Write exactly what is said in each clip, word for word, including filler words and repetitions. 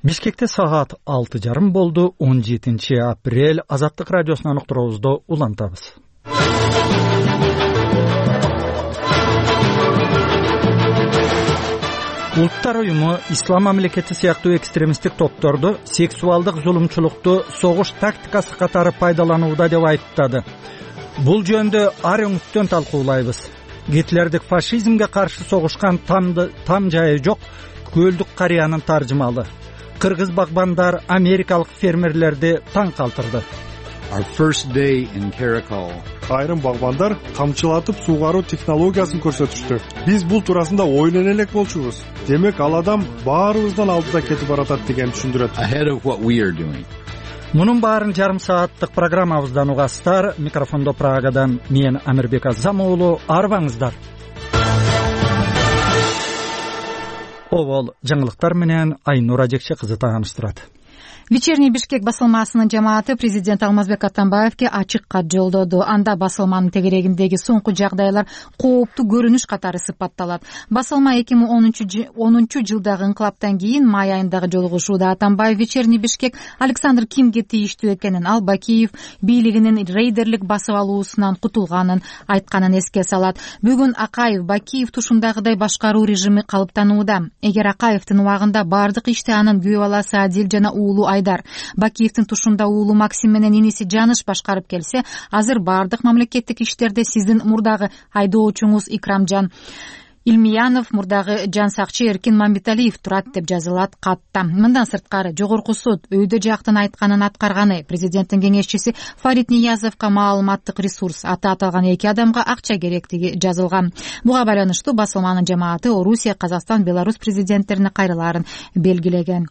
Бишкекте саат алты жарым болду. он жетинчи апрель. Азаттык радиосунан уктуруубузду улантабыз. Улуттар уюму ислам мамлекети сыяктуу экстремисттик топторду сексуалдык зулумчулукту согуш тактикасы катары пайдаланууда деп айыптады. Бул жөнүндө ар өңүттөн талкуулайбыз. Гитлердик фашизмге каршы согушкан тамды там жайы жок көлдүк карыянын таржымалы. Кыргыз багбандар америкалык фермерлерди таң калтырды. Айрым багбандар камчылатып суугаруу технологиясын көрсөтүштү. Биз бул туурасында ойлоно элек болчубуз. Демек ал адам баарыбыздан алдыда кетип баратат деген түшүндүрөт. Мунун баарын жарым сааттык программабыздан угасыздар. Микрофондо Прагадан мен Амирбек Азам уулу. Арбаңыздар. Обол жаңылыктар менен Айнура Жекче кызы тааныштырат. Вечерний Бишкек басылмасынын жамааты президент Алмазбек Атамбаевге ачык кат жолдоду. Анда басылманын тегерегиндеги соңку жагдайлар кооптуу көрүнүш катары сыпатталат. Басылма эки миң онунчу жылдагы инкылаптан кийин май айындагы жолугушууда Атамбаев Вечерний Бишкек Александр Кимге тийиштүү экенин, ал Бакиев бийлигинин рейдерлик басып алуусунан кутулганын айтканын эске салат. Бүгүн Акаев Бакиев тушундагыдай башкаруу режими калыптанууда. Эгер Акаевдин убагында бардык ишти анын күйөө баласы Адил жана уулу Айдар, Бакиевдин тушунда уулу Максим менен иниси Жаныш башкарып келсе, азыр бардык мамлекеттик иштерде сиздин мурдагы айдоочуңуз Икрамжан Илмиянов, мурдагы Жан Сакчы Эркин Мамбеталиев турат деп жазылат катта. Мындан сырткары жогорку суд өйдө жактын айтканын аткарганы. Президенттин кеңешчиси Фарид Ниязовго маалыматтык ресурс аты аталган эки адамга акча керектиги жазылган. Буга байланыштуу басылманын жамааты Орусия, Казакстан, Беларусь президенттерине кайрылаарын белгилеген.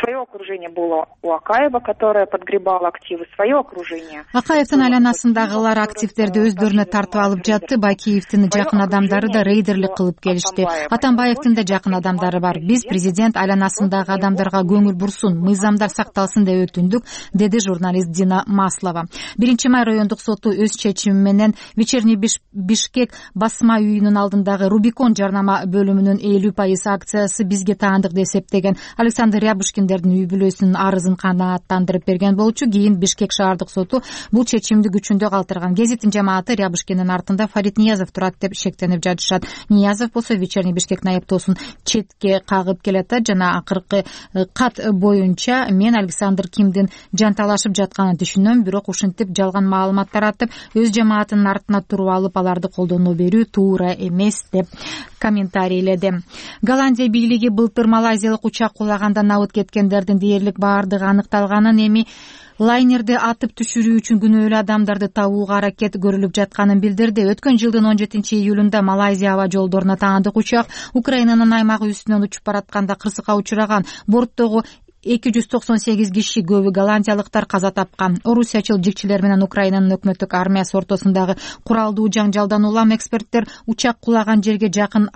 Свое окружение было у Акаева, которое подгребало активы, свое окружение. Акаевдин айланасындагылар активдерди өздөрүнө тартып алып жатты. Бакиевдин жакын адамдары да рейдерлик кылып келишти. Атамбаевдин да жакын адамдары бар. Биз президент айланасындагы адамдарга көңүл бурсун, мыйзамдар сакталсын деп өтүндүк, деди журналист Дина Маслова. биринчи май райондук соту өз чечими менен Вечерний Бишкек басма үйүнүн алдындагы Рубикон жарнама бөлүмүнүн элүү пайыз акциясы бизге таандык деп эсептеген. Александр Рябушкиндердин үй бүлөсүнүн арызын канааттандырып берген болчу. Кийин Бишкек шаардык соту бул чечимди күчүндө калтырган. Гезиттин жамааты Рябушкиндин артында Фарид Ниязов турат деп шектенип жатышат. Ниязов болсо Вечерний Бишкектин айыптоосун четке кагып келатат жана акыркы кат боюнча мен Александр Кимдин жанталашып жатканын түшүнөм, бирок ушинтип жалган маалымат таратып, өз жамаатынын артына туруп алып, аларды колдоно берүү туура эмес деп комментарийледи. Голландия бийлиги былтыр малайзиялык учак кулаганда набыт кеткендердин дээрлик баардыгы аныкталганын, эми лайнерди атып түшүрүү үчүн күнөөлүү адамдарды табууга аракет көрүлүп жатканын билдирди. Өткөн жылдын он жетинчи июлунда Малайзия аба жолдоруна таандык учак Украинанын аймагы үстүнөн учуп баратканда кырсыкка учураган. Борттогу эки жүз токсон сегиз киши, көбү голландиялыктар, каза тапкан. Орусиячыл жигчилер менен Украинанын өкмөттүк армиясы ортосундагы куралдуу жаңжалдан улам эксперттер учак кулаган жерге жакын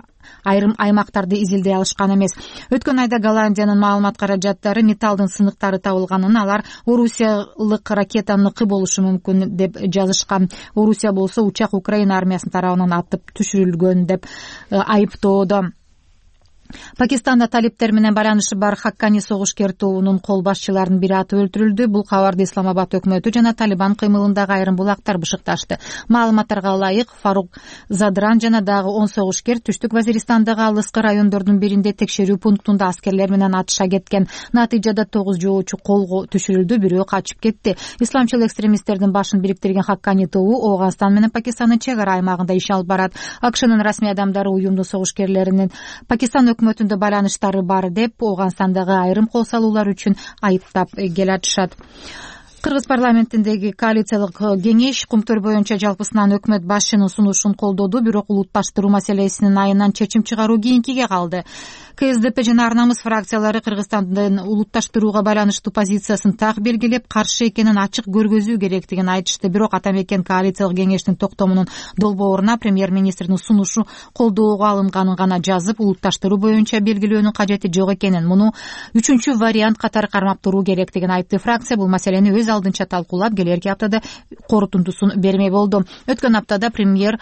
айрым аймактарды изилдей алышкан эмес. Өткөн айда Голландиянын маалымат каражаттары металлдын сыныктары табылганын, алар орусиялык ракетаныкы болушу мүмкүн деп жазышкан. Орусия болсо учак Украина армиясынын тарабынан атып түшүрүлгөн деп айыптоодо. Пакистанда талиптер менен байланышы бар Хаккани согушкер тобунун кол башчыларынын бири атып өлтүрүлдү. Бул кабарды Исламабад өкмөтү жана Талибан кыймылындагы айрым булактар бышыкташты. Маалыматтарга ылайык, Фарук Задран жана дагы он согушкер түштүк Вазиристандагы алыскы райондордун биринде текшерүү пунктунда аскерлер менен атыша кеткен. Натыйжада тогуз жоочу колго түшүрүлдү, бирөө качып кетти. Исламчыл экстремисттердин башын бириктирген Хаккани тобу Ооганстан менен Пакистандын чек ара аймагында иш алып барат. АКШнын расмий адамдары уюмдун согушкерлеринин Пакистан өкмөтүндө байланыштары бар деп Ооганстандагы айрым кол салуулар үчүн айыптап келатышат. Кыргыз парламентиндеги коалициялык кеңеш кумтөр боюнча жалпысынан өкмөт башчынын сунушун колдоду, бирок улутташтыруу маселесинин айынан чечим чыгаруу кийинкиге калды. КСДП жана Ар намыс фракциялары Кыргызстандын улутташтырууга байланыштуу позициясын так белгилеп, каршы экенин ачык көргөзүү керектигин айтышты. Бирок Атамекен коалициялык кеңештин токтомунун долбооруна премьер-министрдин сунушу колдоого алынганын гана жазып, улутташтыруу боюнча белгилөөнүн кажети жок экенин, муну үчүнчү вариант катары кармап туруу керектигин айтты. Фракция бул маселени өз алдынча талкуулап, келерки аптада корутундусун бермей болду. Өткөн аптада премьер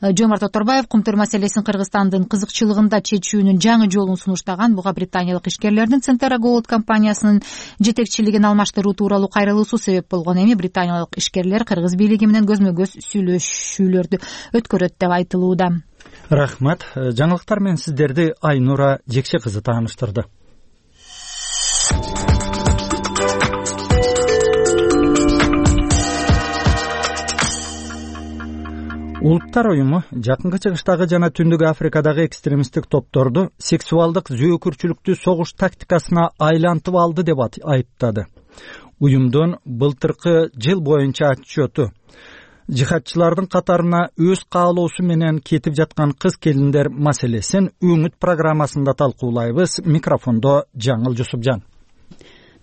Жомарт Оторбаев кумтур маселесин Кыргызстандын кызыкчылыгында чечүүнүн жаңы жолун сунуштаган буга британиялык ишкерлердин Centera Gold компаниясынын жетекчилигин алмаштыруу тууралуу кайрылуусу себеп болгон. Эми британиялык ишкерлер кыргыз бийлиги менен көзмө көз сүйлөшүүлөрдү өткөрөт деп айтылууда. Рахмат. Жаңылыктар менен сиздерди Айнура Жекше кызы тааныштырды. Улуттар уюму Жакынкы Чыгыштагы жана Түндүк Африкадагы экстремисттик топторду сексуалдык зөөкүрчүлүктү согуш тактикасына айлантып алды деп айыптады. Уюмдун былтыркы жыл боюнча отчету жихадчылардын катарына өз каалоосу менен кетип жаткан кыз келиндер маселесин Үмүт программасында талкуулайбыз. Микрофондо Жаңыл Жусупжан.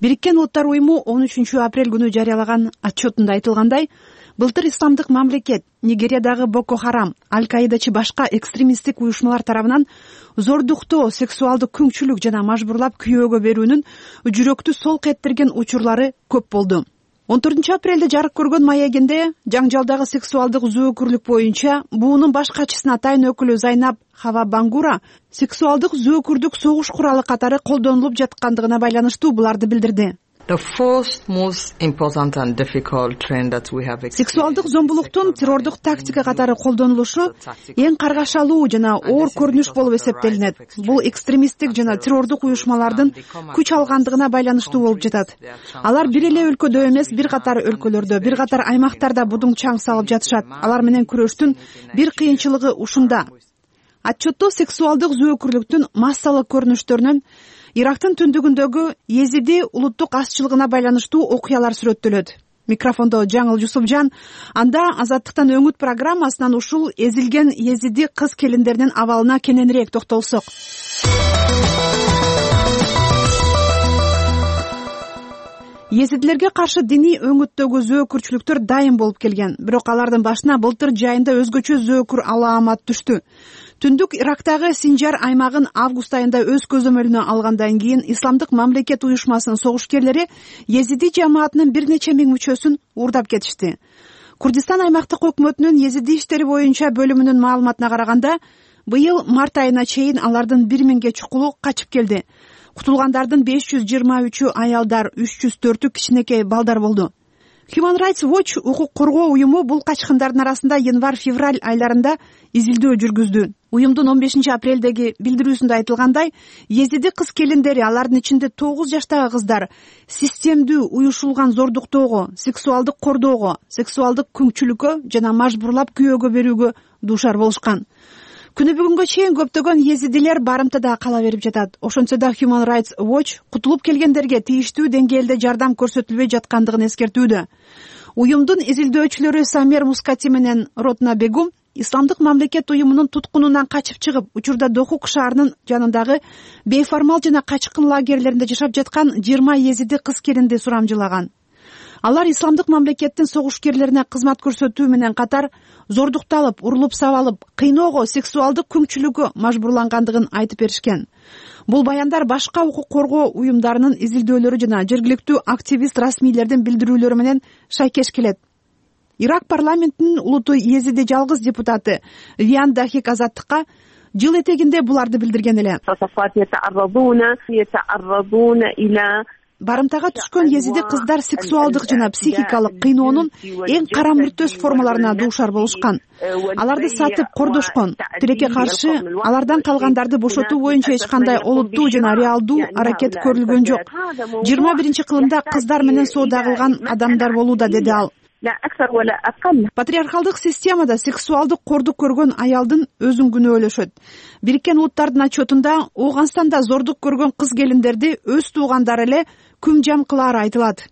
Бириккен Улуттар уюму он үчүнчү апрель күнү жарыялаган отчетунда айтылгандай, былтыр исламдык мамлекет, Нигериядагы Боко Харам, Аль-Каидачы башка экстремисттик уюшмалар тарабынан зордуктоо, сексуалдык күңчүлүк жана мажбурлап күйөөгө берүүнүн жүрөктү солк эттерген учурлары көп болду. он төртүнчү апрелде жарык көргөн маегинде жаңжалдагы сексуалдык зөөкүрлүк боюнча буунун баш катчысына атайын өкүлү Зайнаб Хава Бангура сексуалдык зөөкүрдүк согуш куралы катары колдонулуп жаткандыгына байланыштуу буларды билдирди. Сексуалдык зомбулуктун террордук тактика катары колдонулушу эң каргашалуу жана оор көрүнүш болуп эсептелинет. Бул экстремисттик жана террордук уюшмалардын күч алгандыгына байланыштуу болуп жатат. Алар бир эле өлкөдө эмес, бир катар өлкөлөрдө, бир катар аймактарда будуң чаң салып жатышат. Алар менен күрөштүн бир кыйынчылыгы ушунда. Отчетто сексуалдык зөөкүрлүктүн массалык көрүнүштөрүнөн Ирактын түндүгүндөгү Езиди улуттук азчылыгына байланыштуу окуялар сүрөттөлөт. Микрофондо Жаңыл Жусупжан. Анда Азаттыктан Өңүт программасынан ушул эзилген Езиди кыз келиндеринин абалына кененирээк токтолсок. Езидилерге каршы диний өңүттөгү зөөкүрчүлүктөр дайым болуп келген. Бирок алардын башына былтыр жайында өзгөчө зөөкүр алаамат түштү. Түндүк Ирактагы Синжар аймагын август айында өз көзөмөлүнө алгандан кийин Исламдык мамлекет уюшмасынын согушкерлери Езиди жамаатынын бир нече миң мүчөсүн уурдап кетишти. Курдистан аймактык өкмөтүнүн Езиди иштери боюнча бөлүмүнүн маалыматына караганда, быйыл март айына чейин алардын бир миңге чукулу качып келди. Кутулгандардын беш жүз жыйырма үчү аялдар, үч жүз төртү кичинекей балдар болду. Human Rights Watch укук коргоо уюму бул качкындардын арасында январь-февраль айларында изилдөө жүргүздү. Уюмдун он бешинчи апрелдеги билдирүүсүндө айтылгандай, Езиди кыз келиндери, алардын ичинде тогуз жаштагы кыздар системдүү уюшулган зордуктоого, сексуалдык кордоого, сексуалдык күңчүлүккө жана мажбурлап күйөөгө берүүгө дуушар болушкан. Күнү бүгүнгө чейин көптөгөн езидилер барымтада кала берип жатат. Ошентсе да Human Rights Watch кутулуп келгендерге тийиштүү деңгээлде жардам көрсөтүлбөй жаткандыгын эскертүүдө. Уюмдун изилдөөчүлөрү Самер Мускати менен Ротна Бегум Исламдык мамлекет уюмунун туткунунан качып чыгып, учурда Дохук шаарынын жанындагы бейформал жана качкын лагерлеринде жашап жаткан жыйырма езиди кыз келинди сурамжылаган. Алар Исламдык мамлекеттин согушкерлерине кызмат көрсөтүү менен катар зордукталып, урулуп сабалып, кыйноого, сексуалдык күңчүлүккө мажбурлангандыгын айтып беришкен. Бул баяндар башка укук коргоо уюмдарынын изилдөөлөрү жана жергиликтүү активист расмийлердин билдирүүлөрү менен шайкеш келет. Ирак парламентинин улуттуу езиди жалгыз депутаты Виан Дахик Азаттыкка жыл этегинде буларды билдирген эле. Барымтага түшкөн езиди кыздар сексуалдык жана психикалык кыйноонун эң кара мүртөс формаларына дуушар болушкан. Аларды сатып кордошкон. Тилекке каршы алардан калгандарды бошотуу боюнча эч кандай олуттуу жана реалдуу аракет көрүлгөн жок. жыйырма биринчи кылымда кыздар менен соода кылган адамдар болууда, деди ал. Патриархалдык системада сексуалдык кордук көргөн аялдын өзүн күнөөлөшөт. Бириккен Улуттардын отчетунда Ооганстанда зордук көргөн кыз келиндерди өз туугандары эле күм жам кылаары айтылат.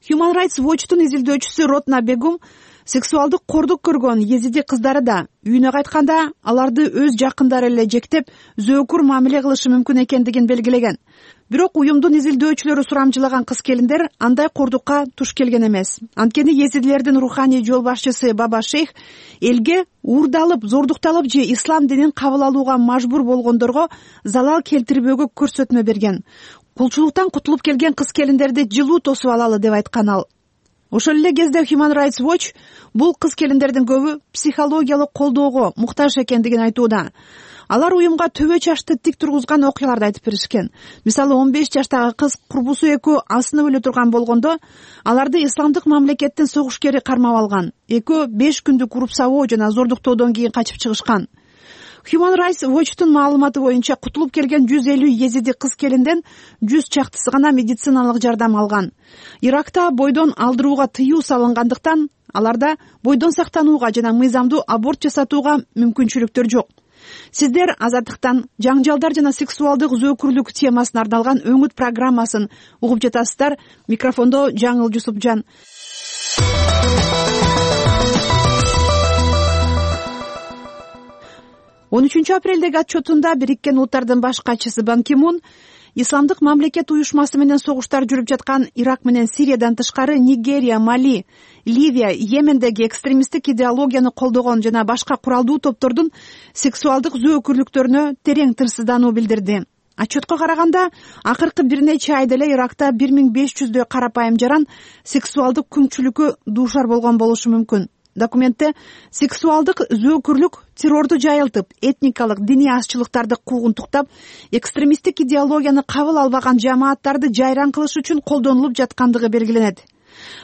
Human Rights Watch'тун изилдөөчүсү Ротна Бегум сексуалдык кордук көргөн езиди кыздары да үйүнө кайтканда аларды өз жакындары эле жектеп, зөөкүр мамиле кылышы мүмкүн экендигин белгилеген. Бирок уюмдун изилдөөчүлөрү сурамжылаган кыз келиндер андай кордукка туш келген эмес. Анткени езидилердин руханий жол башчысы Баба Шейх элге уурдалып, зордукталып же ислам динин кабыл алууга мажбур болгондорго залал келтирбөөгө көрсөтмө берген. Кулчулуктан кутулуп келген кыз келиндерди жылуу тосуп алалы деп айткан ал. Ошол эле кезде Human Rights Watch бул кыз-келиндердин көбү психологиялык колдоого муктаж экендигин айтууда. Алар уюмга төбө чачты тик тургузган окуяларды айтып беришкен. Мисалы, он беш жаштагы кыз курбусу экөө асынып өлө турган болгондо аларды исламдык мамлекеттин согушкери кармап алган. Экөө беш күндүк уруксабоо жана зордуктоодон кийин качып чыгышкан. Human Rights Watch'тун маалыматы боюнча кутулуп келген жүз элүү езиди кыз-келинден жүз чактысы гана медициналык жардам алган. Иракта бойдон алдырууга тыюу салынгандыктан аларда бойдон сактанууга жана мыйзамдуу аборт жасатууга мүмкүнчүлүктөр жок. Сиздер Азаттыктан жаңжалдар жана сексуалдык зөөкүрлүк темасына арналган өңүт программасын угуп жатасыздар. Микрофондо Жаңыл Жусупжан. он үчүнчү апрелдеги отчетунда Бириккен Улуттардын баш катчысы Бан Ки Мун исламдык мамлекет уюшмасы менен согуштар жүрүп жаткан Ирак менен Сириядан тышкары Нигерия, Мали, Ливия, Йемендеги экстремисттик идеологияны колдогон жана башка куралдуу топтордун сексуалдык зөөкүрлүктөрүнө терең тырсыздануу билдирди. Отчетко караганда, акыркы бир нече айда эле Иракта бир миң беш жүздөй карапайым жаран сексуалдык күңчүлүккө дуушар болгон болушу мүмкүн. Документте сексуалдык зөөкүрлүк террорду жайылтып, этникалык, диний азчылыктарды куугунтуктап, экстремисттик идеологияны кабыл албаган жамааттарды жайран кылыш үчүн колдонулуп жаткандыгы белгиленет.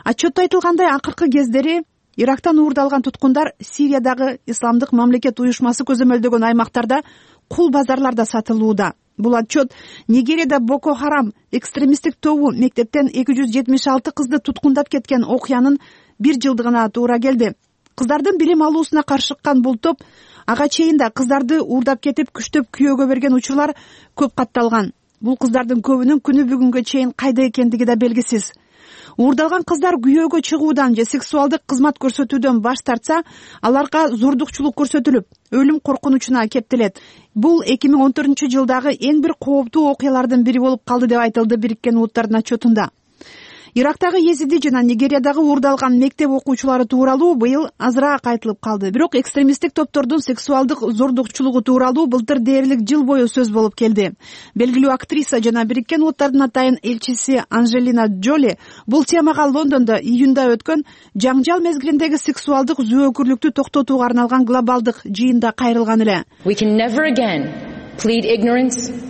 Отчетто айтылгандай, акыркы кездери Ирактан уурдалган туткундар Сириядагы исламдык мамлекет уюшмасы көзөмөлдөгөн аймактарда кул базарларда сатылууда. Бул отчет Нигерияда Боко Харам экстремисттик тобу мектептен эки жүз жетимиш алты кызды туткундап кеткен окуянын бир жылдыгына туура келди. Кыздардын билим алуусуна каршы чыккан бул топ ага чейин да кыздарды уурдап кетип күчтөп күйөөгө берген учурлар көп катталган. Бул кыздардын көбүнүн күнү бүгүнгө чейин кайда экендиги да белгисиз. Уурдалган кыздар күйөөгө чыгуудан же сексуалдык кызмат көрсөтүүдөн баш тартса, аларга зордукчулук көрсөтүлүп, өлүм коркунучуна кептелет. Бул эки миң он төртүнчү жылдагы эң бир кооптуу окуялардын бири болуп калды деп айтылды Бириккен Улуттардын отчетунда. Ирактагы Езиди жана Нигериядагы уурдалган мектеп окуучулары тууралуу быйыл азыраак айтылып калды. Бирок экстремисттик топтордун сексуалдык зордукчулугу тууралуу былтыр дээрлик жыл бою сөз болуп келди. Белгилүү актриса жана Бириккен Улуттардын атайын элчиси Анжелина Джоли бул темага Лондондо июнда өткөн жаңжал мезгилиндеги сексуалдык зөөкүрлүктү токтотууга арналган глобалдык жыйында кайрылган эле. We can never again plead ignorance.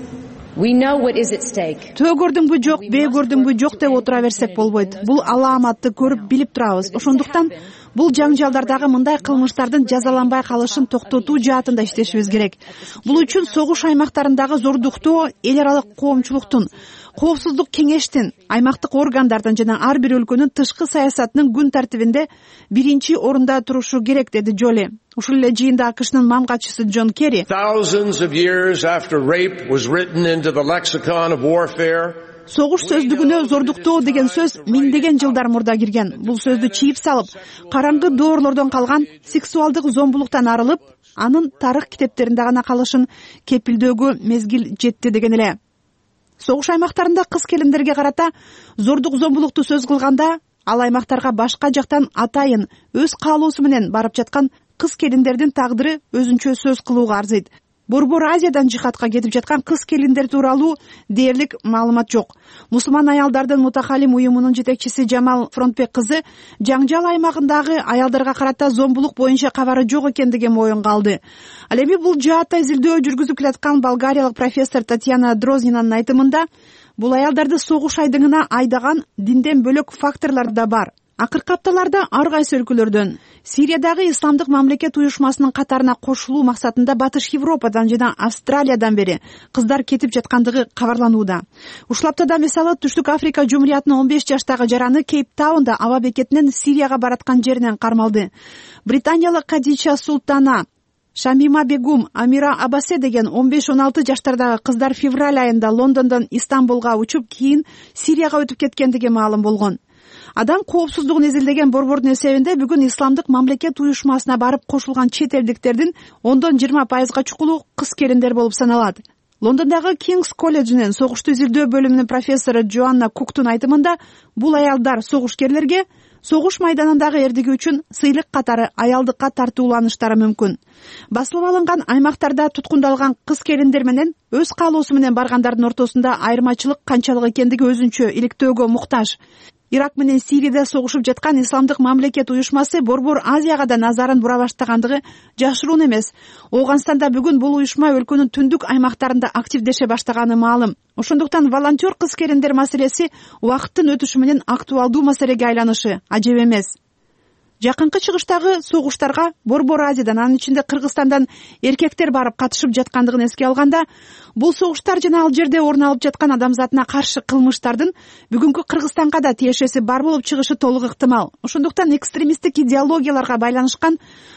Төө көрдүңбү жок, бээ көрдүңбү жок деп отура берсек болбойт. Бул алааматты көрүп билип турабыз. Ошондуктан бул жаңжалдардагы мындай кылмыштардын жазаланбай калышын токтотуу жаатында иштешибиз керек. Бул үчүн согуш аймактарындагы зордуктоо эл аралык коомчулуктун, коопсуздук кеңештин, аймактык органдардын жана ар бир өлкөнүн тышкы саясатынын күн тартибинде биринчи орунда турушу керек, деди Джоли. Ушул эле жыйында АКШнын мам катчысы Джон Керри согуш сөздүгүнө зордуктоо деген сөз миңдеген жылдар мурда кирген. Бул сөздү чийип салып, караңгы доорлордон калган сексуалдык зомбулуктан арылып, анын тарых китептеринде гана калышын кепилдөөгө мезгил жетти деген эле. Согуш аймактарында кыз-келиндерге карата зордук зомбулукту сөз кылганда, ал аймактарга башка жактан атайын өз каалоосу менен барып жаткан кыз-келиндердин тагдыры өзүнчө сөз кылууга арзыйт. Борбор Азиядан жихадка кетип жаткан кыз-келиндер тууралуу дээрлик маалымат жок. Мусулман аялдардын мутахалим уюмунун жетекчиси Жамал Фронтбек кызы жаңжал аймагындагы аялдарга карата зомбулук боюнча кабары жок экендигин моюнга алды. Ал эми бул жаатта изилдөө жүргүзүп келаткан болгариялык профессор Татьяна Дрознинанын айтымында, бул аялдарды согуш айдыңына айдаган динден бөлөк факторлор да бар. Акыркы апталарда ар кайсы өлкөлөрдөн Сириядагы исламдык мамлекет уюшмасынын катарына кошулуу максатында Батыш Европадан жана Австралиядан бери кыздар кетип жаткандыгы кабарланууда. Ушул аптада мисалы Түштүк Африка Жумуриятынын он беш жаштагы жараны Кейптаунда аба бекетинен Сирияга бараткан жеринен кармалды. Британиялык Кадича Султана, Шамима Бегум, Амира Абасе деген он беш он алты жаштардагы кыздар февраль айында Лондондон Истанбулга учуп, кийин Сирияга өтүп кеткендиги маалым болгон. Адам коопсуздугун изилдеген борбордун эсебинде бүгүн исламдык мамлекет уюшмасына барып кошулган чет элдиктердин ондон жыйырма пайызга чукулу кыз-келиндер болуп саналат. Лондондогу Кингс колледжинин согушту изилдөө бөлүмүнүн профессору Джоанна Куктун айтымында, бул аялдар согушкерлерге согуш майданындагы эрдиги үчүн сыйлык катары аялдыкка тартууланыштары мүмкүн. Басылып алынган аймактарда туткундалган кыз-келиндер менен өз каалоосу менен баргандардын ортосунда айырмачылык канчалык экендиги өзүнчө иликтөөгө муктаж. Ирак менен Сирияда согушуп жаткан Исламдык мамлекет уюшмасы Борбор Азияга да назарын бура баштагандыгы жашыруун эмес. Ооганстанда бүгүн бул уюшма өлкөнүн түндүк аймактарында активдеше баштаганы маалым. Ошондуктан волонтер кыз-келиндер маселеси убакыттын өтүшү менен актуалдуу маселеге айланышы ажеп эмес. Жакынкы чыгыштагы согуштарга Борбор Азиядан, анын ичинде Кыргызстандан эркектер барып катышып жаткандыгын эске алганда, бул согуштар жана ал жерде орун алып жаткан адамзатына каршы кылмыштардын бүгүнкү Кыргызстанга да тиешеси бар болуп чыгышы толук ыктымал. Ошондуктан экстремисттик идеологияларга байланышкан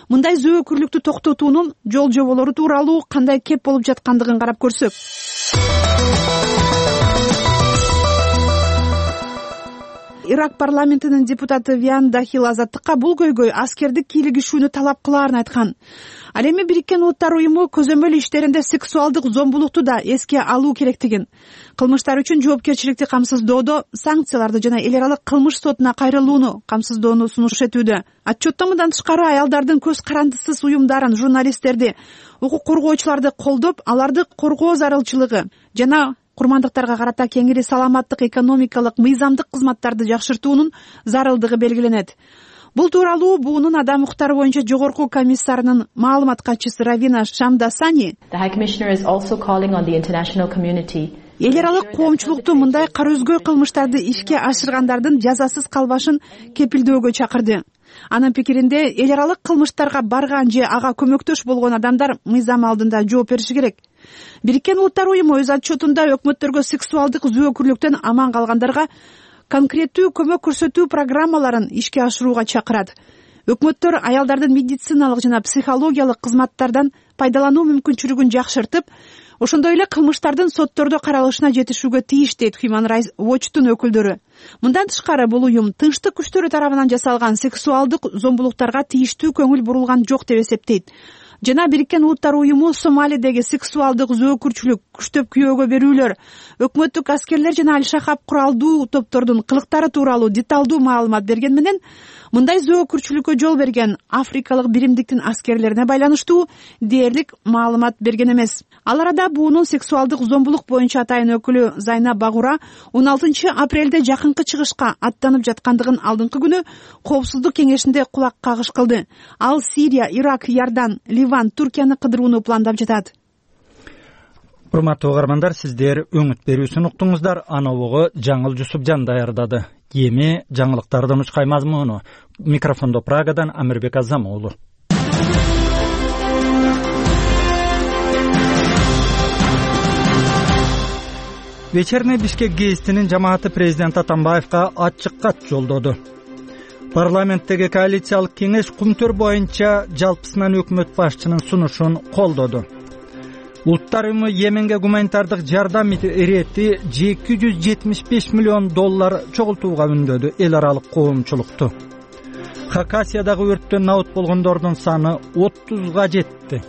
мындай зөөкүрлүктү токтотуунун жол жоболору тууралуу кандай кеп болуп жаткандыгын карап көрсөк. Ирак парламентинин депутаты Виан Дахил Азаттыкка бул көйгөй аскердик кийлигишүүнү талап кылаарын айткан. Ал эми Бириккен Улуттар уюму көзөмөл иштеринде сексуалдык зомбулукту да эске алуу керектигин, кылмыштар үчүн жоопкерчиликти камсыздоодо санкцияларды жана эл аралык кылмыш сотуна кайрылууну камсыздоону сунуш этүүдө. Отчеттон мындан тышкары аялдардын көз карандысыз уюмдарын, журналисттерди, укук коргоочуларды колдоп, аларды коргоо зарылчылыгы жана курмандыктарга карата кеңири саламаттык экономикалык мыйзамдык кызматтарды жакшыртуунун зарылдыгы белгиленет. Бул тууралуу буунун адам укуктары боюнча жогорку комиссарынын маалымат катчысы Равина Шамдасани эл аралык коомчулукту мындай кара өзгө кылмыштарды ишке ашыргандардын жазасыз калбашын кепилдөөгө чакырды. Анын пикиринде, эл аралык кылмыштарга барган же ага көмөктөш болгон адамдар мыйзам алдында жооп бериши керек. Бириккен Улуттар уюму өз отчетунда өкмөттөргө сексуалдык зөөкүрлүктөн аман калгандарга конкреттүү көмөк көрсөтүү программаларын ишке ашырууга чакырат. Өкмөттөр аялдардын медициналык жана психологиялык кызматтардан пайдалануу мүмкүнчүлүгүн жакшыртып, ошондой эле кылмыштардын соттордо каралышына жетишүүгө тийиш, дейт Human Rights Watch'тун өкүлдөрү. Мындан тышкары бул уюм тынчтык күчтөрү тарабынан жасалган сексуалдык зомбулуктарга тийиштүү көңүл бурулган жок деп эсептейт. Жана Бириккен Улуттар уюму Сомалидеги сексуалдык зөөкүрчүлүк, күчтөп күйөөгө берүүлөр, өкмөттүк аскерлер жана Аль-Шахаб куралдуу топтордун кылыктары тууралуу деталдуу маалымат берген менен, мындай зөөкүрчүлүккө жол берген Африкалык биримдиктин аскерлерине байланыштуу дээрлик маалымат берген эмес. Ал арада буунун сексуалдык зомбулук боюнча атайын өкүлү Зайна Багура он алтынчы апрелде жакынкы чыгышка аттанып жаткандыгын алдыңкы күнү Коопсуздук кеңешинде кулак кагыш кылды. Ал Сирия, Ирак, Иордан, Ливан, Туркияны кыдырууну пландап жатат. Урматтуу угармандар, сиздер өңүт берүүсүн уктуңуздар. Аналогу Жаңыл Жусупжан даярдады. Эми жаңылыктардын учкай мазмуну. Микрофондо Прагадан Амирбек Азамуулу. Вечерний Бишкек гезитинин жамааты президент Атамбаевка ачык кат жолдоду. Парламенттеги коалициялык кеңеш кумтөр боюнча жалпысынан өкмөт башчынын сунушун колдоду. Улуттар уюму Йеменге гуманитардык жардам ирети эки жүз жетимиш беш миллион доллар чогултууга үндөдү эл аралык коомчулукту. Хакасиядагы өрттөн набут болгондордун саны отузга жетти.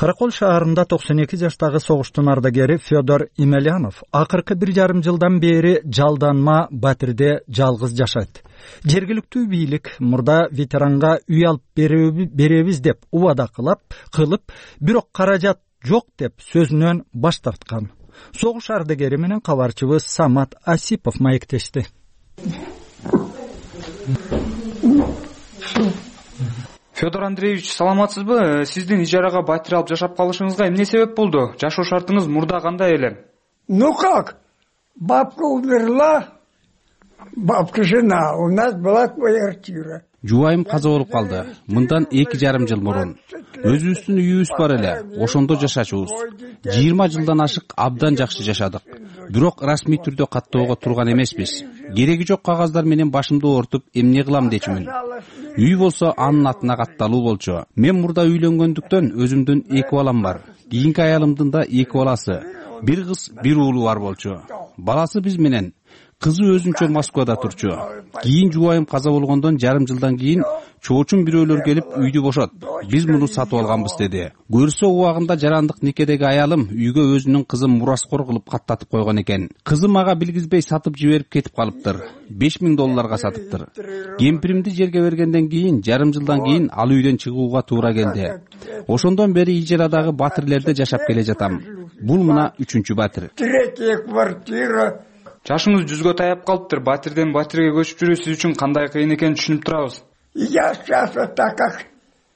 Каракол шаарында токсон эки жаштагы согуштун ардагери Федор Имелянов акыркы бир жарым жылдан бери жалданма батирде жалгыз жашайт. Жергиликтүү бийлик мурда ветеранга үй алып беребиз деп убада кылып, кылып, бирок каражат жок деп сөзүнөн баш тарткан. Согуш ардагери менен кабарчыбыз Самат Асипов маектешти. Федор Андреевич, саламатсызбы? Сиздин ижарага батир алып жашап калышыңызга эмне себеп болду? Жашоо шартыңыз мурда кандай эле? Ну как? Бабка умерла, бабка жена, у нас была квартира. Жубайым каза болуп калды. Мындан эки жарым жыл мурун. Өзүбүздүн үйүбүз бар эле, ошондо жашачубуз. жыйырма жылдан ашык абдан жакшы жашадык. Бирок расмий түрдө каттоого турган эмеспиз. Кереги жок кагаздар менен башымды оортуп, эмне кылам дечүмүн. Үй болсо анын атына катталуу болчу. Мен мурда үйлөнгөндүктөн өзүмдүн эки балам бар. Кийинки аялымдын да эки баласы. Бир кыз, бир уулу бар болчу. Баласы биз менен. Кызы өзүнчө Москвада турчу. Кийин жубайым каза болгондон жарым жылдан кийин чоочун бирөөлөр келип үйдү бошот. Биз муну сатып алганбыз деди. Көрсө убагында жарандык никедеги аялым үйгө өзүнүн кызын мураскор кылып каттатып койгон экен. Кызы мага билгизбей сатып жиберип кетип калыптыр. беш миң долларга сатыптыр. Кемпиримди жерге бергенден кийин жарым жылдан кийин ал үйдөн чыгууга туура келди. Ошондон бери ижарадагы батирлерде жашап келе жатам. Бул мына үчүнчү батир. Третья квартира. Жашыңыз жүзгө таяп калыптыр. Батирден батирге көчүп жүрүү сиз үчүн кандай кыйын экенин түшүнүп турабыз. Я сейчас вот так как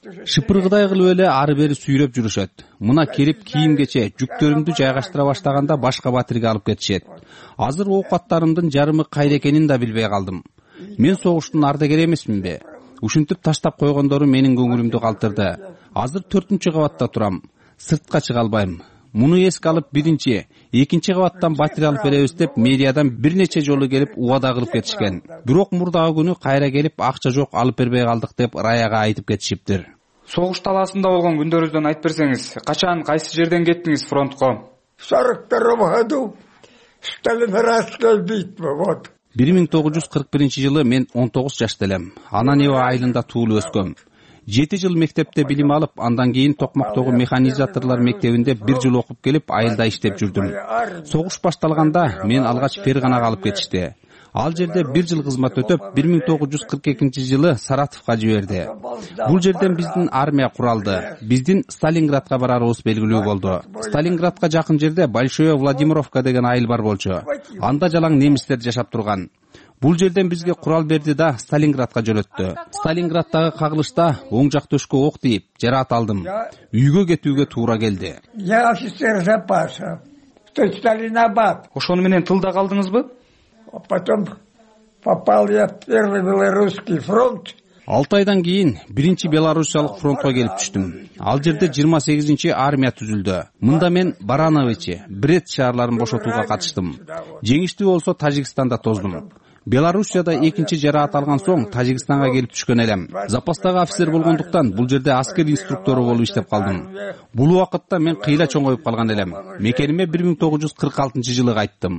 Шыпыргыдай кылып эле ары бери сүйрөп жүрүшөт. Мына келип кийимгече жүктөрүмдү жайгаштыра баштаганда башка батирге алып кетишет. Азыр оокаттарымдын жарымы кайда экенин да билбей калдым. Мен согуштун ардагери эмесминби? Ушинтип таштап койгондору менин көңүлүмдү калтырды. Азыр төртүнчү кабатта турам. Сыртка чыга албайм. Муну эске алып биринчи, экинчи кабаттан батир алып беребиз деп медиадан бир нече жолу келип убада кылып кетишкен. Бирок мурдагы күнү кайра келип акча жок алып бербей калдык деп Раяга айтып кетишиптир. Согуш талаасында болгон күндөрүңүздөн айтып берсеңиз, качан кайсы жерден кеттиңиз фронтко? в сорок втором году Сталинградская битва, вот. бир миң тогуз жүз кырк биринчи жылы мен он тогуз жашта элем. Ананева айылында туулуп өскөм. жети жыл мектепте билим алып, андан кийин Токмактогу механизаторлор мектебинде бир жыл окуп келип, айылда иштеп жүрдүм. Согуш башталганда мен алгач Ферганага алып кетишти. Ал жерде бир жыл кызмат өтөп, бир миң тогуз жүз кырк экинчи жылы Саратовго жиберди. Бул жерден биздин армия куралды. Биздин Сталинградка барарыбыз белгилүү болду. Сталинградка жакын жерде Большое Владимировка деген айыл бар болчу. Анда жалаң немистер жашап турган. Бул жерден бизге курал берди да Сталинградка жөнөттү. Сталинградтагы кагылышта оң жак төшкө ок тийип, жараат алдым. Үйгө кетүүгө туура келди. Я офицер запаса. То Сталинабад. Ошону менен тылда калдыңызбы? А потом попал я в первый белорусский фронт. алты айдан кийин биринчи Белоруссиялык фронтко келип түштүм. Ал жерде жыйырма сегизинчи армия түзүлдү. Мында мен Барановичи, Брет шаарларын бошотууга катыштым. Жеңиштүү болсо Тажикстанда тоздум. Белоруссияда экинчи жараат алган соң Тажикстанга келип түшкөн элем. Запастагы офицер болгондуктан бул жерде аскер инструктору болуп иштеп калдым. Бул убакытта мен кыйла чоңоюп калган элем. Мекениме бир миң тогуз жүз кырк алтынчы жылы кайттым.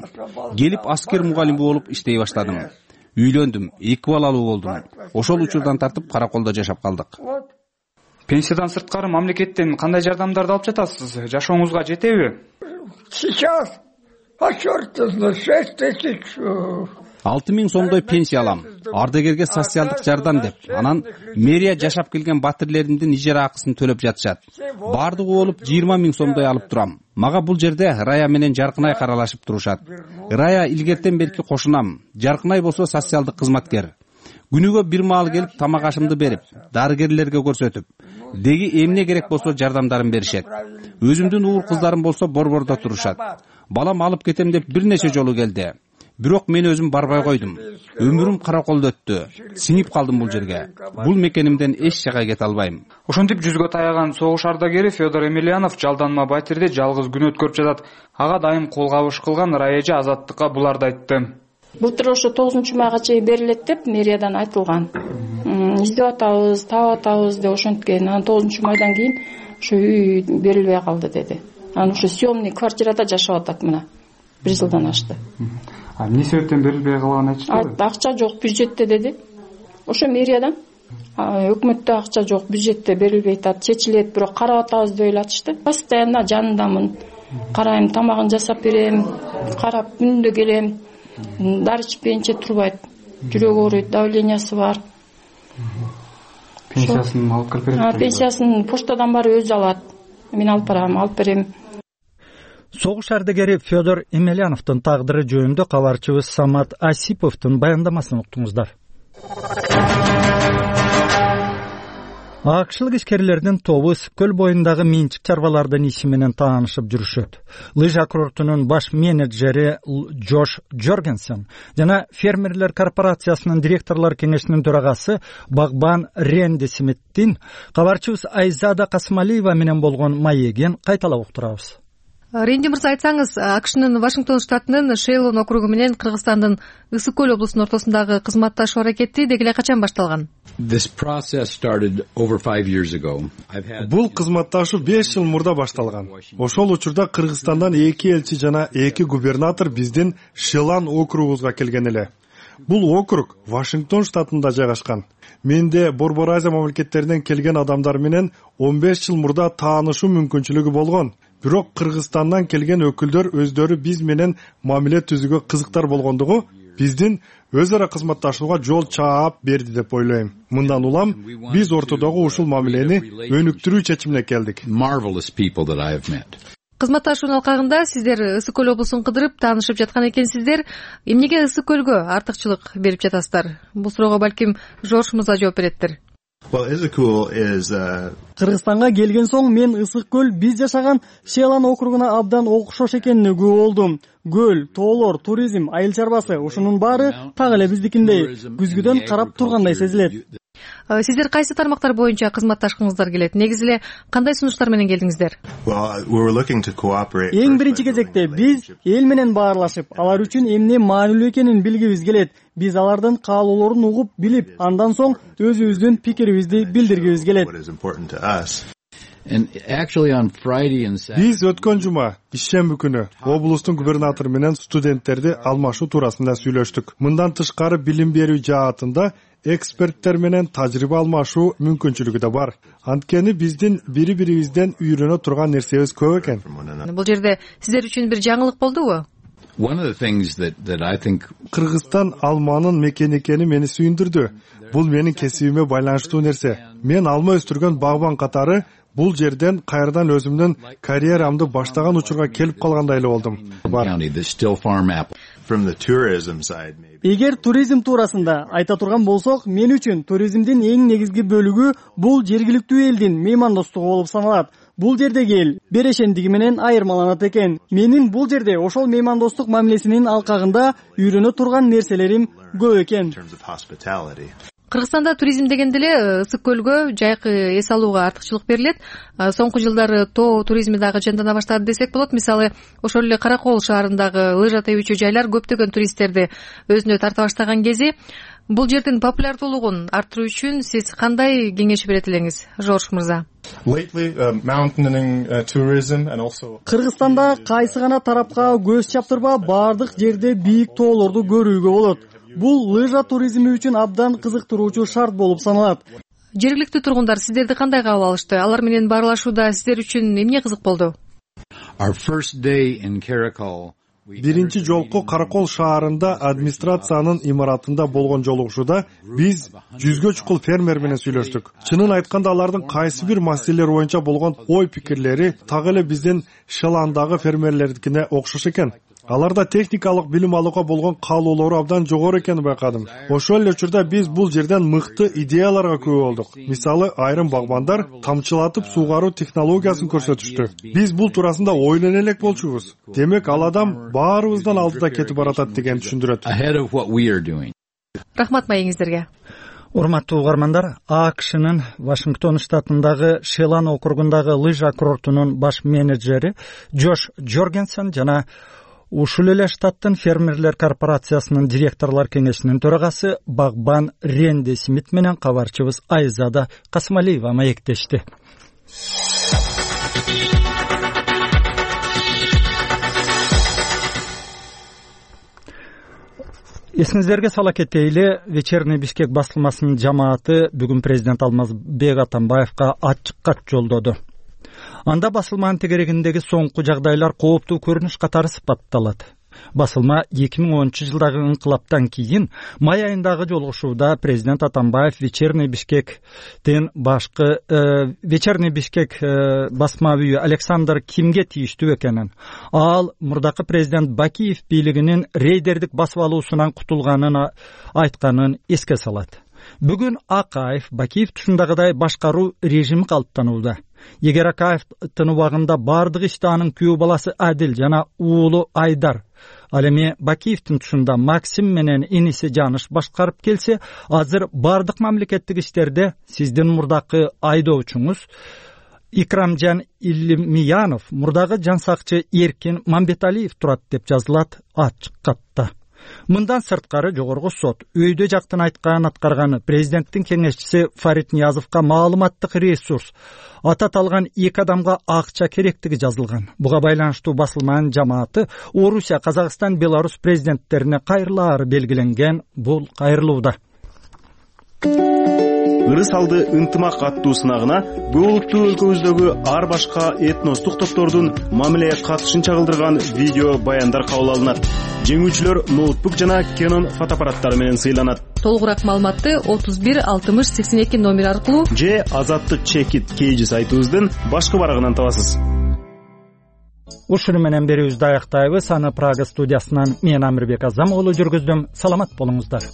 Келип аскер мугалими болуп иштей баштадым. Үйлөндүм, эки балалуу болдум. Ошол учурдан тартып караколдо жашап калдык. Пенсиядан сырткары мамлекеттен кандай жардамдарды алып жатасыз? Жашооңузга жетеби? Сейчас, а черт знает, шесть тысяч. алты миң сомдой пенсия алам. Ардагерге социалдык жардам деп. Анан мэрия жашап келген батирлеримдин ижара акысын төлөп жатышат. Бардыгы болуп жыйырма миң сомдой алып турам. Мага бул жерде Рая менен Жаркынай каралашып турушат. Рая илгертен берки кошунам. Жаркынай болсо социалдык кызматкер. Күнүгө бир маал келип тамак ашымды берип, дарыгерлерге көрсөтүп, деги эмне керек болсо жардамдарын беришет. Өзүмдүн уур кыздарым болсо борбордо турушат. Балам алып кетем деп бир нече жолу келди. Бирок мен өзүм барбай койдум. Өмүрүм караколдо өттү. Сиңип калдым бул жерге. Бул мекенимден эч жака кете албайм. Ошентип жүзгө таяган согуш ардагери Федор Емельянов жалданма батирде жалгыз күн өткөрүп жатат. Ага дайым кол кабыш кылган Рая эже Азаттыкка буларды айтты. Былтыр ошо тогузунчу майга чейин берилет деп мэриядан айтылган. Издеп атабыз, таап атабыз деп ошенткен. Анан тогузунчу майдан кийин ошо үй берилбей калды деди. Анан ошо съемный квартирада жашап атат мына. бир жылдан ашты. А эмне себептен берилбей калганын айтышты? Акча жок бюджетте деди. Ошо мэриядан өкмөттө акча жок, бюджетте берилбей атат, чечилет, бирок карап атабыз деп эле Постоянно жанындамын. Карайм, тамагын жасап берем, карап күндө келем. Дары ичпейинче турбайт. Жүрөгү ооруйт, давлениясы бар. Пенсиясын алып кирип берет. Пенсиясын поштадан барып өзү алат. Мен алып барам, алып берем. Согуш ардагери Федор Емельяновдун тагдыры жөнүндө кабарчыбыз Самат Асиповдун баяндамасын уктуңуздар. Акшылык ишкерлердин тобу Ысык көл боюндагы менчик чарбалардын иши менен таанышып жүрүшөт. Лыжа курортунун баш менеджери Джош Джоргенсен жана фермерлер корпорациясынын директорлор кеңешинин төрагасы Багбан Ренди Смиттин кабарчыбыз Айзада Касымалиева менен болгон маегин кайталап уктурабыз. Ренди мырза, айтсаңыз, АКШнын Вашингтон штатынын Шейлон округу менен Кыргызстандын Ысык көл облусунун ортосундагы кызматташуу аракети деги эле качан башталган? Бул кызматташуу беш жыл мурда башталган. Ошол учурда Кыргызстандан эки элчи жана эки губернатор биздин Шейлон округубузга келген эле. Бул округ Вашингтон штатында жайгашкан. Менде Борбор Азия мамлекеттеринен келген адамдар менен он беш жыл мурда таанышуу мүмкүнчүлүгү болгон. Бирок Кыргызстандан келген өкүлдөр өздөрү биз менен мамиле түзүүгө кызыктар болгондугу биздин өз ара кызматташууга жол чаап берди деп ойлойм. Мындан улам биз ортодогу ушул мамилени өнүктүрүү чечимине келдик. Кызматташуунун алкагында сиздер Ысык көл облусун кыдырып таанышып жаткан экенсиздер. Эмнеге Ысык көлгө артыкчылык берип жатасыздар? Бул суроого балким Жорж мырза жооп береттир. Кыргызстанга келген соң мен Ысык көл биз жашаган Шейлон округуна абдан окшош экенине күбө болдум. Көл, тоолор, туризм, айыл чарбасы ушунун баары так эле биздикиндей күзгүдөн карап тургандай сезилет. Сиздер кайсы тармактар боюнча кызматташкыңыздар келет? Негизи эле кандай сунуштар менен келдиңиздер? Эң биринчи кезекте биз эл менен баарлашып, алар үчүн эмне маанилүү экенин билгибиз келет. Биз алардын каалоолорун угуп, билип, андан соң өзүбүздүн пикирибизди билдиргибиз келет. Биз өткөн жума ишемби күнү облустун губернатору менен студенттерди алмашуу туурасында сүйлөштүк. Мындан тышкары билим берүү жаатында эксперттер менен тажрыйба алмашуу мүмкүнчүлүгү да бар. Анткени биздин бири-бирибизден үйрөнө турган нерсебиз көп экен. Бул жерде сиздер үчүн бир жаңылык болдубу? Кыргызстан алманын мекени экени мени сүйүндүрдү. Бул менин кесибиме байланыштуу нерсе. Мен алма өстүргөн багбан катары бул жерден кайрадан өзүмдүн карьерамды баштаган учурга келип калгандай эле болдум. Эгер туризм туурасында айта турган болсок, мен үчүн туризмдин эң негизги бөлүгү бул жергиликтүү элдин меймандостугу болуп саналат. Бул жердеги эл берешендиги менен айырмаланат экен. Менин бул жерде ошол меймандостук мамилесинин алкагында үйрөнө турган нерселерим көп экен. Кыргызстанда туризм дегенде эле Ысык көлгө жайкы эс алууга артыкчылык берилет. Соңку жылдары тоо туризми дагы жандана баштады десек болот. Мисалы, ошол эле Каракол шаарындагы лыжа тебүүчү жайлар көптөгөн туристтерди өзүнө тарта баштаган кези. Бул жердин популярдуулугун арттыруу үчүн сиз кандай кеңеш берет элеңиз, Жорж мырза? Кыргызстанда кайсы гана тарапка көз чаптырба бардык жерде бийик тоолорду көрүүгө болот. Бул лыжа туризми үчүн абдан кызыктыруучу шарт болуп саналат. Жергиликтүү тургундар сиздерди кандай кабыл алышты? Алар менен баарлашууда сиздер үчүн эмне кызык болду? Биринчи жолку Каракол шаарында администрациянын имаратында болгон жолугушууда биз жүзгө чукул фермер менен сүйлөштүк. Чынын айтканда алардын кайсы бир маселелер боюнча болгон ой пикирлери так эле биздин Шейлондагы фермерлердикине окшош экен. Аларда техникалык билим алууга болгон каалоолору абдан жогору экенин байкадым. Ошол эле учурда биз бул жерден мыкты идеяларга күбө болдук. Мисалы, айрым багбандар тамчылатып суугаруу технологиясын көрсөтүштү. Биз бул туурасында ойлоно элек болчубуз. Демек, ал адам баарыбыздан алдыда кетип баратат деген түшүндүрөт. Рахмат маегиңиздерге. Урматтуу угармандар, АКШнын Вашингтон штатындагы Шейлон округундагы лыжа курортунун баш менеджери Джош Джоргенсен жана ушул эле штаттын фермерлер корпорациясынын директорлор кеңешинин төрагасы багбан Ренди Смит менен кабарчыбыз Айзада Касымалиева маектешти. Эсиңиздерге сала кетейли, Вечерний Бишкек басылмасынын жамааты бүгүн президент Алмазбек Атамбаевга ачык кат жолдоду. Анда басылманын тегерегиндеги соңку жагдайлар кооптуу көрүнүш катары сыпатталат. Басылма эки миң онунчу жылдагы инкылаптан кийин май айындагы жолугушууда президент Атамбаев Вечерний Бишкектен башкы э, Вечерний Бишкек э, басма үйү Александр Кимге тийиштүү экенин, ал мурдакы президент Бакиев бийлигинин рейдердик басып алуусунан кутулганын айтканын эске салат. Бүгүн Акаев Бакиев тушундагыдай башкаруу режими калыптанууда. Эгер Акаевдин убагында бардык ишти анын күйөө баласы Адил жана уулу Айдар, ал эми Бакиевдин тушунда Максим менен иниси Жаныш башкарып келсе, азыр бардык мамлекеттик иштерде сиздин мурдакы айдоочуңуз Икрамжан Илимиянов мурдагы жан сакчы Эркин Мамбеталиев турат деп жазылат ачык катта. Мындан сырткары жогорку сот өйдө жактын айтканын аткарган президенттин кеңешчиси Фарид Ниязовго маалыматтык ресурс ата талган эки адамга акча керектиги жазылган. Буга байланыштуу басылманын жамааты Орусия, Казакстан, Беларусь президенттерине кайрылаары белгиленген. Бул кайрылууда ырыс алды ынтымак аттуу сынагына бул улуттуу өлкөбүздөгү ар башка этностук топтордун мамилеге катышын чагылдырган видео баяндар кабыл алынат. Жеңүүчүлөр ноутбук жана Canon фотоаппараттары менен сыйланат. Толугураак маалыматты отуз бир алтымыш сексен эки номер аркылуу же азаттык чекит кейжи сайтыбыздын башкы барагынан табасыз. Ушуну менен берүүбүздү аяктайбыз. Аны Прага студиясынан мен Амирбек Азам уулу жүргүздүм. Саламат болуңуздар.